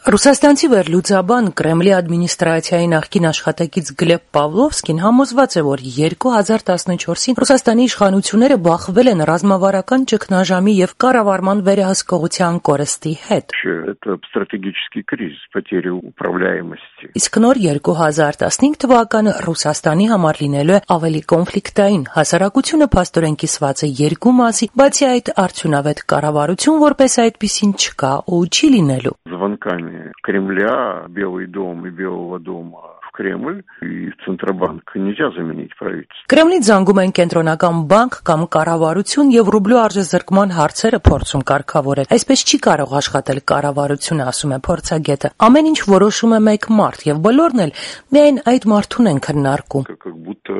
Ռուսաստանցի վերլուծաբան Կրեմլի ադմինիստրացիայի նախկին աշխատակից Գլեբ Պավլովսկին համոզված է, որ 2014-ին Ռուսաստանի իշխանությունները բախվել են ռազմավարական ճգնաժամի եւ կառավարման վերահսկողության կորստի հետ։ Իսկ նոր 2015 թվականը Ռուսաստանի համար լինելու է ավելի կոնֆլիկտային, հասարակությունը փաստորեն կիսված է երկու մասի, բացի այդ արդյունավետ կառավարություն որպես այդպիսին չկա ու չի լինելու։ Кремля, Белый дом и Белого дома в Кремль и в Центробанк нельзя заменить правительство. Կրեմլից զանգում են կենտրոնական բանկ կամ կառավարություն եւ ռուբլու արժեզրկման հարցերը փորձում կարգավորել։ Այսպես չի կարող աշխատել կառավարությունը, ասում է փորձագետը։ Ամեն ինչ որոշում է մեկ մարդ եւ բոլորն էլ միայն այդ մարդուն են քննարկում։ Как будто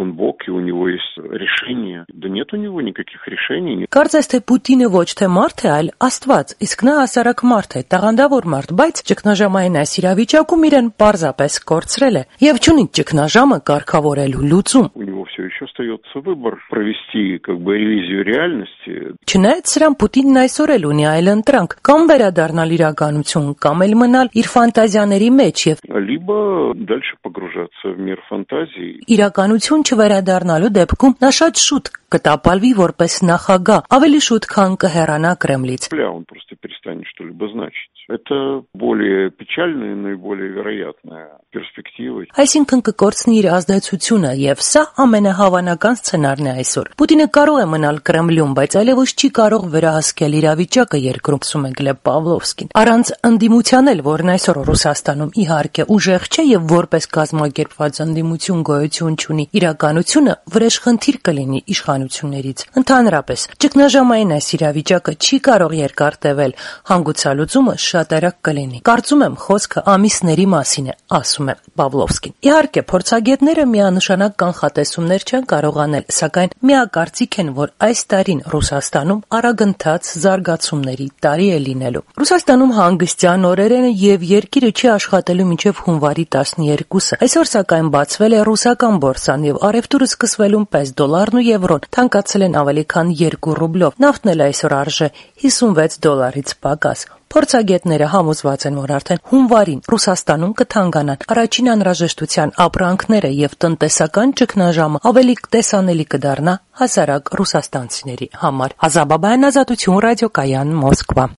он бог и у него есть решение. Да нет у него никаких решений. Կարծես թե Պուտինը ոչ թե մարդ է, այլ Աստված, իսկ նա հասարակ մարդ է, տաղանդավոր մարդ, բայց ճգնաժամային այս իրավիճակում իրեն պարզապես կորցրել է եւ չունի ճգնաժամը կարգավորելու լուծում։ У него все еще остается выбор провести ревизию реальности. Չնայած սրան Պուտինն այսօր էլ ունի այլ ընտրանք, կամ վերադառնալ իրականություն, կամ էլ մնալ իր ֆանտազիաների մեջ եւ либо дальше погружаться в мир фантазий. Իրականություն չվերադառնալու դեպքում նա շատ շուտ կտապալվի որպես նախագահ, ավելի շուտ քան կհեռանա Կրեմլից։ Он просто перестанет что-либо значить. Это более печальная, но и более вероятная перспектива. Այսինքն կկորցնի իր ազդեցությունը եւ սա ամենահավանական սցենարն է այսօր։ Պուտինը կարող է մնալ Կրեմլում, բայց այլևս չի կարող վերահսկել իրավիճակը երկրում, ասում է Գլեբ Պավլովսկին։ Առանց ընդդիմության էլ, որն այսօր Ռուսաստանում իհարկե ուժեղ չէ եւ որպես կազմակերպված ընդդիմություն գոյություն չունի, իրականությունը վրեժխնդիր կլինի իշխանություններից։ Ընդհանրապես, ճգնաժամային այս իրավիճակը չի կարող երկար տևել, հանգուցալուծումը շատ արագ կլինի։ Կարծում եմ խոսքը ամիսների մասին է, ասում է Պավլովսկին։ Իհարկե, փորձագետները միանշանակ կանխատեսումներ չեն կարող անել, սակայն միակարծիք են, որ այս տարին Ռուսաստանում արագընթաց զարգացումների տարի է լինելու։ Ռուսաստանում հանգստյան օրեր են եւ երկիրը չի աշխատելու մինչեւ հունվարի 12-ը։ Այսօր սակայն բացվել է ռուսական բորսան եւ առևտուրը սկսվելուն պես դոլարն ու եվրոն թանկացել են ավելի քան 2 ռուբլով։ Նավթն էլ այսօր արժե $56 պակաս։ Փորձագետները համոզված են, որ արդեն հունվարին Ռուսաստանում կթանկանան առաջին անհրաժեշտության ապրանքները եւ տնտեսական ճգնաժամը ավելի տեսանելի կդառնա հասարակ ռուսաստանցիների համար։ Ազատություն ռադիոկայան Մոսկվա։